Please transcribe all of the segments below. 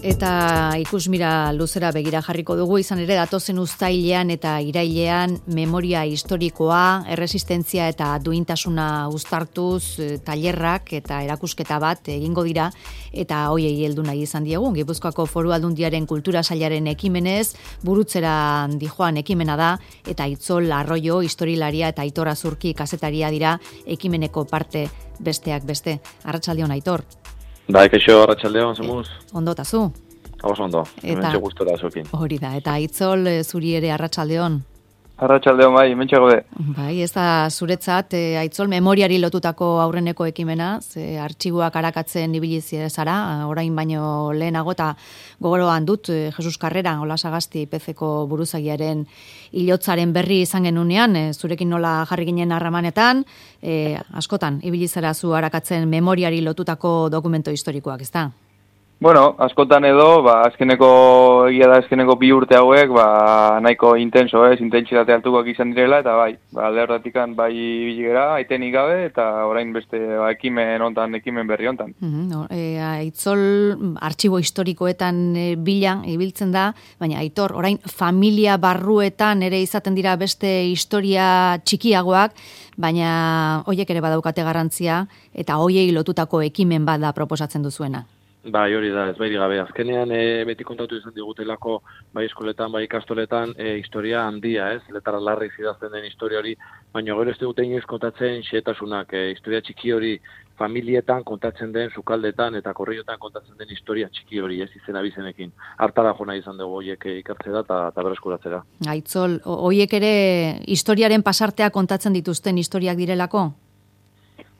Eta ikusmira luzera begira jarriko dugu, izan ere datozen uztailean eta irailean memoria historikoa, erresistentzia eta duintasuna uztartuz tailerrak eta erakusketa bat egingo dira, eta hoiei heldu nahi izan diegu. Gipuzkoako Foru Aldundiaren Kultura Sailaren ekimenez, burutzera dijoan ekimena da, eta Itzol Arroyo, historilaria eta Aitor Azurki kazetaria dira ekimeneko parte besteak beste. Arratsaldeon, Aitor. Bai, kaixo, arratsaldeon, zemuz. Ondo tazu? Ondo, hementxe gustora zuekin. Hori da, eta Itzol zuri ere arratsaldeon. Arratsaldeon bai, hementxe gaude. Bai, ez da zuretzat, Aitzol, memoriari lotutako aurreneko ekimena, ze artxiboak arakatzen ibili zara, orain baino lehenago, eta gogoroan dut, Jesus Carrera, Ola Sagasti, PCko buruzagiaren hilotzaren berri izan genunean, zurekin nola jarri ginen harremanetan, askotan, ibili zara zu arakatzen memoriari lotutako dokumento historikoak, ez da? Bueno, askotan edo, azkeneko 2 urte hauek, nahiko intenso, intentsitate altukoak izan direla, eta bai, alde horretikan bai biligera, aitenik gabe, eta orain beste ekimen berri hontan. Aitzol artxibo historikoetan bilan ibiltzen da, baina Aitor, orain familia barruetan ere izaten dira beste historia txikiagoak, baina hoiek ere badaukate garrantzia, eta hoiei lotutako ekimen bat da proposatzen duzuena. Bai, hori da, ez bairi gabe. Azkenean beti kontatu izan digutelako, bai eskoletan, bai ikastoletan, historia handia, letara larri zidazten den historia hori, baina gero ez dute inoiz kontatzen xehetasunak, historia txiki hori familietan kontatzen den, sukaldetan eta korriotan kontatzen den historia txiki hori, ez izena bizenekin. Hartara jona izan dugu horiek ikartzera eta berreskuratzera. Aitzol, horiek ere historiaren pasartea kontatzen dituzten historiak direlako?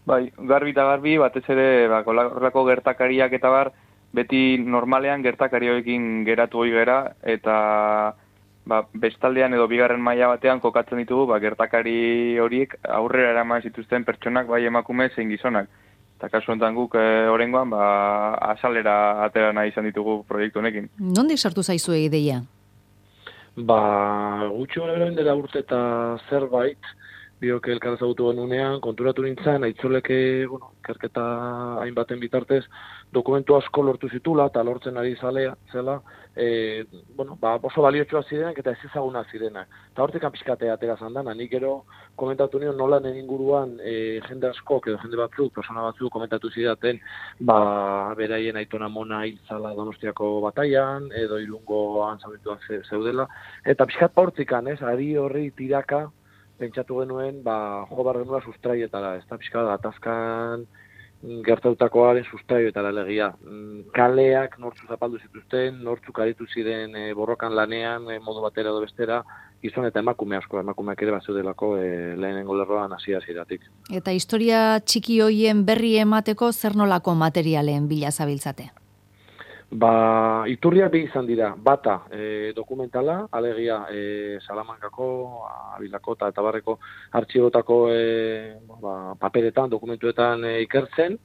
Bai, garbi eta garbi, batez ere, horrelako gertakariak eta beti normalean gertakarioekin geratu hori gera, eta bestaldean edo bigarren maila batean kokatzen ditugu, gertakari horiek aurrera eraman zituzten pertsonak, bai emakume zein gizonak. Eta kasu honetan guk oraingoan azalera atera nahi izan ditugu proiektu honekin. Nondik sartu zaizu ideia? Gutxi gara dela urte eta zerbait, biok elkar ezagutu genunean, konturatu nintzen, Aitzoleke, ikerketa hainbaten bitartez, dokumentu asko lortu zitula, eta lortzen ari zela, oso baliotsua zirenak eta ez ezagunak zirenak. Eta hortik pixkatea atera zandan, nik gero komentatu nion nola nien inguruan jende askok edo jende batzuk, persona batzuk komentatu zidaten, beraien aitona mona hiltzala Donostiako bataian, edo Irungoan zaurituak zeudela, eta pixkat hortzikan, ari horri tiraka, pentsatu genuen, jo bar genuen sustraietara, ez da pixka atazkan gertatutakoaren sustraietara legia. Kaleak nortzu zapaldu zituzten, nortzuk aritu ziren borrokan lanean, modu batera edo bestera, gizon eta emakume asko, emakumeak ere bazeudelako lehenengo lerroan hasieratik. Eta historia txiki hoien berri emateko zer nolako materialen bila zabiltzate? Iturriak bi izan dira, bata dokumentala, alegia Salamankako, Abilako eta Barreko artxibotako paperetan, dokumentuetan ikertzen,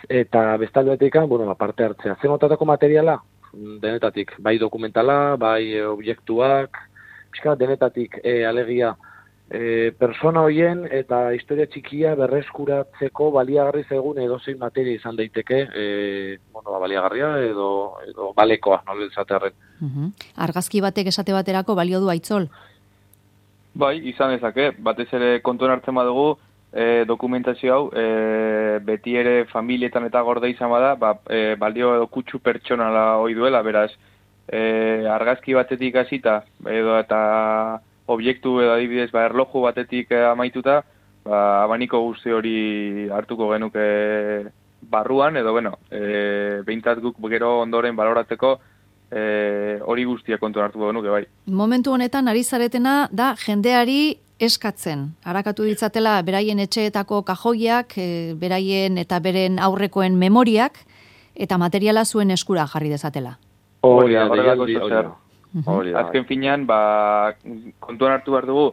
eta bestaldetik parte hartzea. Zer notatako materiala? Denetatik, bai dokumentala, bai objektuak, denetatik alegia persona hoien eta historia txikia berreskuratzeko baliagarri zaigun edozein materia izan daiteke, baliagarria edo balekoa, nola esatearren. Argazki batek esate baterako balio du Aitzol? Bai, izan dezake, batez ere kontuan hartzen badugu, dokumentazio hau, beti ere familietan eta gorde izan bada, balio edo kutsu pertsonala hoi duela, beraz, argazki batetik hasita edo eta objektu edo adibidez erloju batetik amaituta, abaniko guzti hori hartuko genuke barruan, edo behintzat guk gero ondoren baloratzeko hori guztia kontuan hartuko genuke bai. Momentu honetan ari zaretena da jendeari eskatzen. Arakatu ditzatela beraien etxeetako kajoiak, beraien eta beren aurrekoen memoriak, eta materiala zuen eskura jarri dezatela. Hori da. Azken finean, kontuan hartu behar dugu,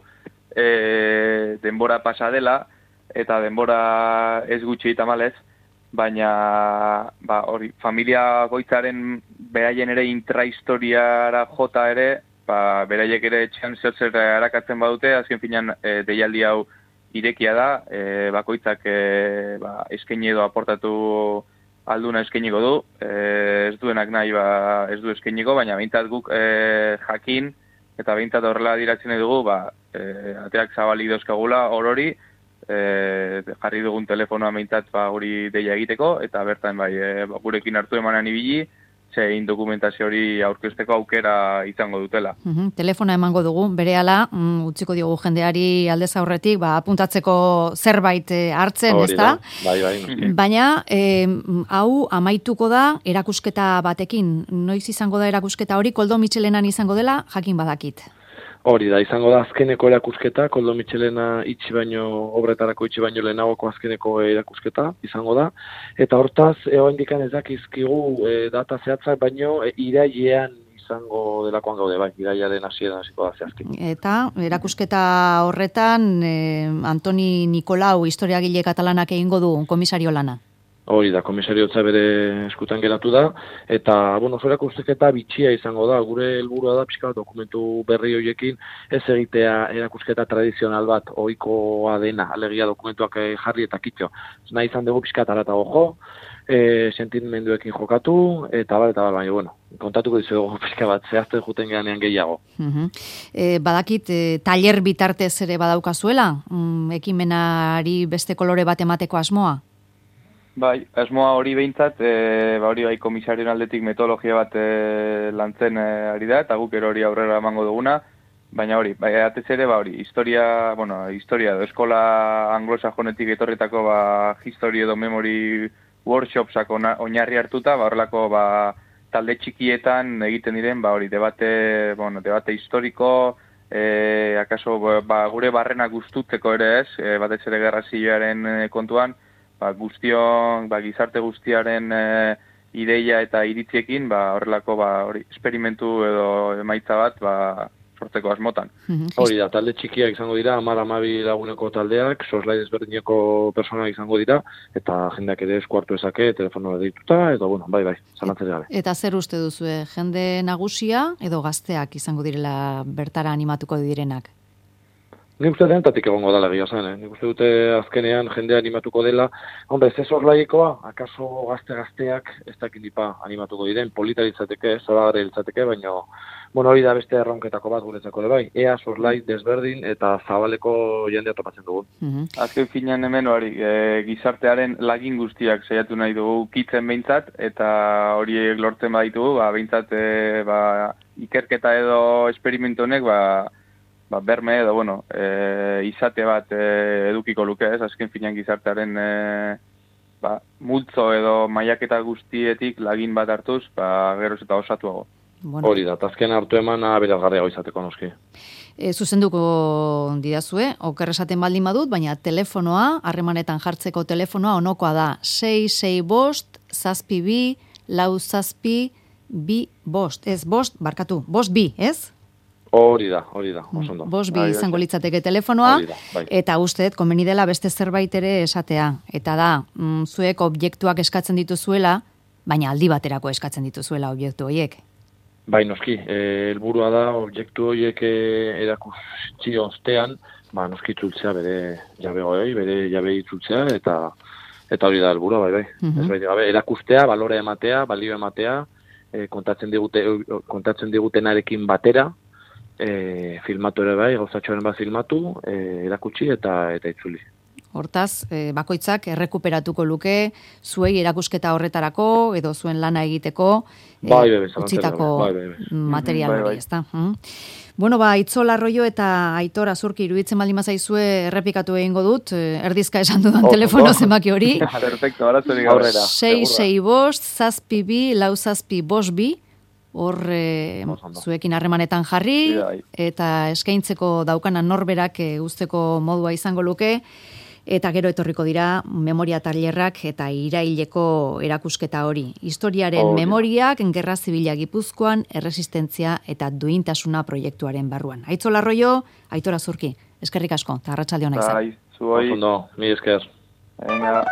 denbora pasa dela, eta denbora ez gutxi tamalez, baina familia goitzaren beraien ere intrahistoriara jota ere, beraiek ere etxean zer arakatzen badute, azken finean deialdi hau irekia da, bakoitzak eskaini edo aportatu alduna eskainiko du, ez duenak nahi ez du eskainiko, baina behintzat guk jakin, eta behintzat horrela adiratzen dugu, ateak zabalik dauzkagula orori, jarri dugun telefonoa behintzat hori deia egiteko, eta bertan gurekin hartu emanan ibili, zein dokumentazio hori aurkezteko aukera izango dutela. Telefona emango dugu, berehala, utziko diogu jendeari aldez aurretik, apuntatzeko zerbait hartzen, ezta? Bai. Baina, hau amaituko da erakusketa batekin. Noiz izango da erakusketa hori, Koldo Mitxelenan izango dela, jakin badakit. Hori da, izango da azkeneko erakusketa, Koldo Mitxelena obretarako itxi baino lehenagoko azkeneko erakusketa izango da. Eta hortaz, oraindik ez dakizkigu data zehatzak, baino irailean izango delakoan gaude, irailaren hasieran hasiko da zehazki. Eta erakusketa horretan, Antoni Nikolau historiagile katalanak egingo du komisario lana. Hori da, komisariotza bere eskutan geratu da, eta, erakusketa bitxia izango da, gure helburua da, pixka dokumentu berri horiekin, ez egitea erakusketa tradizional bat, ohikoa dena, alegia dokumentuak jarri eta kitxo. Nahi izan dugu pixka taratago jo, sentimenduekin jokatu, eta baina, kontatuko dizuegu pixka bat, zehazten juten geanean gehiago. Badakit, taller bitartez ere badaukazuela, ekimenari beste kolore bat emateko asmoa? Bai, asmoa hori behintzat, hori komisarioen aldetik metodologia bat lantzen ari da, eta guk hori aurrera emango duguna, baina hori, atez ere, historia edo eskola anglosajonetik etorritako history edo memory workshopsak oinarri hartuta, horrelako talde txikietan egiten diren, debate historiko, akaso gure barrena gustutzeko ere ez, batez ere gerra zibilaren kontuan, gizarte guztiaren ideia eta iritziekin, horrelako esperimentu edo emaitza bat sortzeko asmotan. Hori da, talde txikiak izango dira, 10-12 laguneko taldeak, soslai desberdineko personak izango dira, eta jendeak ere esku hartu ezake, telefonoa deituta, eta zalantzere gabe. Eta zer uste duzue, jende nagusia edo gazteak izango direla bertara animatuko direnak? Nik uste denetatik egongo dela egia zen, Nik uste dute azkenean jendea animatuko dela. Ez horlaikoa, akaso gazteak ez dakindipa animatuko diren, polita ditzateke, zoragarri ditzateke, baina hori da beste erronketako bat guretzako bai. Ea zorlai desberdin eta zabaleko jendea topatzen dugu. Azken finean hemen gizartearen lagin guztiak saiatu nahi dugu kitzen behintzat, eta horiek lortzen baditugu, behintzat ikerketa edo esperimentu honek, berme edo, izate bat edukiko luke, azken finean gizartearen multzo edo mailaketa guztietik lagin bat hartuz, geroz eta osatuago. Hori da, azken hartu eman aberazgarriago izateko noski. Zuzenduko didazue, oker esaten baldin badut, baina telefonoa, harremanetan jartzeko telefonoa onokoa da 662-4 ez bost, barkatu, 5, ez? Hori da, oso ondo. 5 izango litzateke telefonoa, eta usteet, komeni dela beste zerbait ere esatea. Eta da, zuek objektuak eskatzen dituzuela, baina aldi baterako eskatzen dituzuela objektu horiek. Bai, noski, helburua da objektu horiek erakutsi ostean, noski itzultzea bere jabegoei, bere jabe itzultzea, eta hori da helburua, bai. Erakustea, balore ematea, balio ematea, kontatzen digutenarekin batera, filmatu ere bai, gauzatxoaren bat filmatu, erakutsi eta itzuli. Hortaz, bakoitzak errekuperatuko luke, zuei erakusketa horretarako, edo zuen lana egiteko, utzitako material hori, ezta? Itzola Arroyo eta Aitor Azurki iruditzen baldin bazaizue errepikatu egingo dut, erdizka esan dudan telefono zenbaki hori. Perfecto, arazorik aurrera. 662-4 hor zuekin harremanetan jarri, eta eskaintzeko daukanan norberak usteko modua izango luke, eta gero etorriko dira memoria tailerrak eta iraileko erakusketa hori. Historiaren memoriak, gerra zibila Gipuzkoan, erresistentzia eta duintasuna proiektuaren barruan. Aitzola Arroyo, Aitor Azurki, eskerrik asko, eta arratsalde ona izan. Zuoi. Ondo, mi esker. Venga.